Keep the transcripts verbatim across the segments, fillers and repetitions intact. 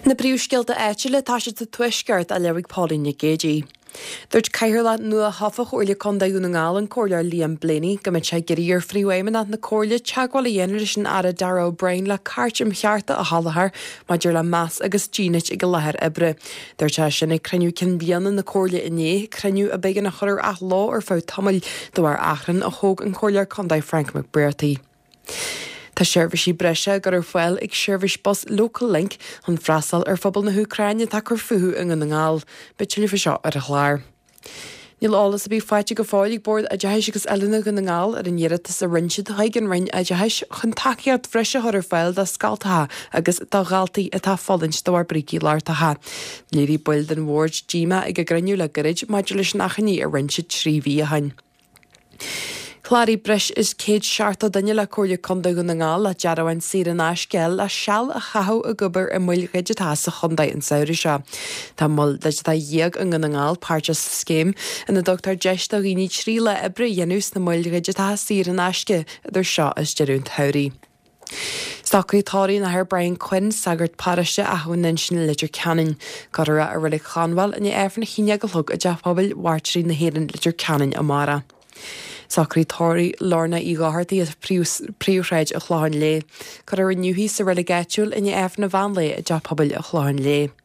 Na príomhscéalta áitiúla tá siad sa tuaisceart á léamh ag Pauline Nic Géadaigh. Dúirt Cathaoirleach nua-thofa Chomhairle Contae Dhún na nGall an Comhairleoir Liam Blaney go mbeidh sé ag iarraidh ar Phríomhfheidhmeannach na Comhairle teagmháil a dhéanamh leis an Aire Darragh O'Brien le cairt um chearta a sholáthar maidir le meas agus dínit ag an láthair oibre. Dúirt sé sin ag cruinniú cinn bliana na Comhairle inné, cruinniú a b'éigean a chur ar athló ar feadh tamaill de bharr achrann a thóg an Comhairleoir Contae Frank McBrearty. Tá seirbhísí breise á gcur ar fáil ag seirbhís bus Local Link chun freastal ar phobal na hÚcráine atá ag cur fúthu i nDún na nGall. Beidh tuilleadh faoi seo ar an chlár. Níl eolas ar bith faighte go fóill ag Bord Oideachais agus Oiliúna Dhún na nGall ar an iarratas a rinne siad chuig an Roinn Oideachais chun tacaíocht bhreise a chur ar fáil do scoltacha agus do dhaltaí atá ag fulaingt de bharr brící lochtacha. Léirigh baill den bhord díomá ag a gcruinniú le gairid maidir leis an achainí a rinne siad trí mhí ó shin. Chláraigh breis is céad seachtó duine le Comhairle Contae Dhún na nGall le dearbháin saor in aisce le seal a chaitheamh ag obair i moil dhigiteacha sa chontae an samhradh seo. Tá mol digiteach dhéag i nDún na nGall páirteach sa scéim ina dtugtar deis do dhaoine trí lá oibre a dhéanamh sna moil dhigiteacha saor in aisce idir seo is deireadh an tsamhraidh. Socruithe tórraimh an Athar Brian Quinn, sagart paróiste Achadh na nUinsinn Leitir Ceanainn. Cuirfear é i Reilig Chonbhail i ndiaidh Aifreann a haon déag a chlog i dTeach Pobail Mhairtírí na hÉireann Leitir Ceanainn amárach. Socruithe tórraimh Lorna Uí Dhochartaigh as Príomhshráid an Chlocháin Léith. Cuirfear inniu í sa reilig áitiúil i ndiaidh Aifreann an mheán lae i dTeach Pobail an Chlocháin Léith.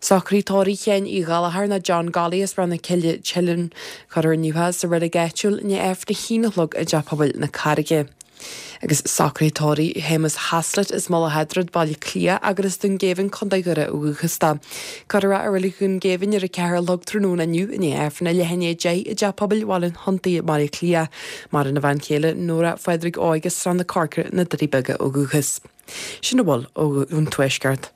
Socruithe tórraimh Sheáin Uí Ghallchóir nó John Golly as Ráth na Cille Teileann. Cuirfear inniu é sa reilig áitiúil i ndiaidh Aifreann a haon a chlog i dTeach Pobail na Carraige. Agus socruithe tórraimh Shéamus Haslett as Mullach Eadrad Baile Átha Cliath agus as Dún Géibhinn Contae Dhoire ó dhúchas dó. Cuirfear é i Reilig Dhún Géibhinn ar a ceathair a chlog tráthnóna inniu i ndiaidh Aifreann a leath i ndiaidh a deich i dTeach Pobail Bhaile an Huntaigh i mBaile Átha Cliath. Maireann a bhean chéile Nóra Phádraig Óig as Srath na Corcra na Doirí Beaga ó dhúchas. Sin a bhfuil ón Tuaisceart.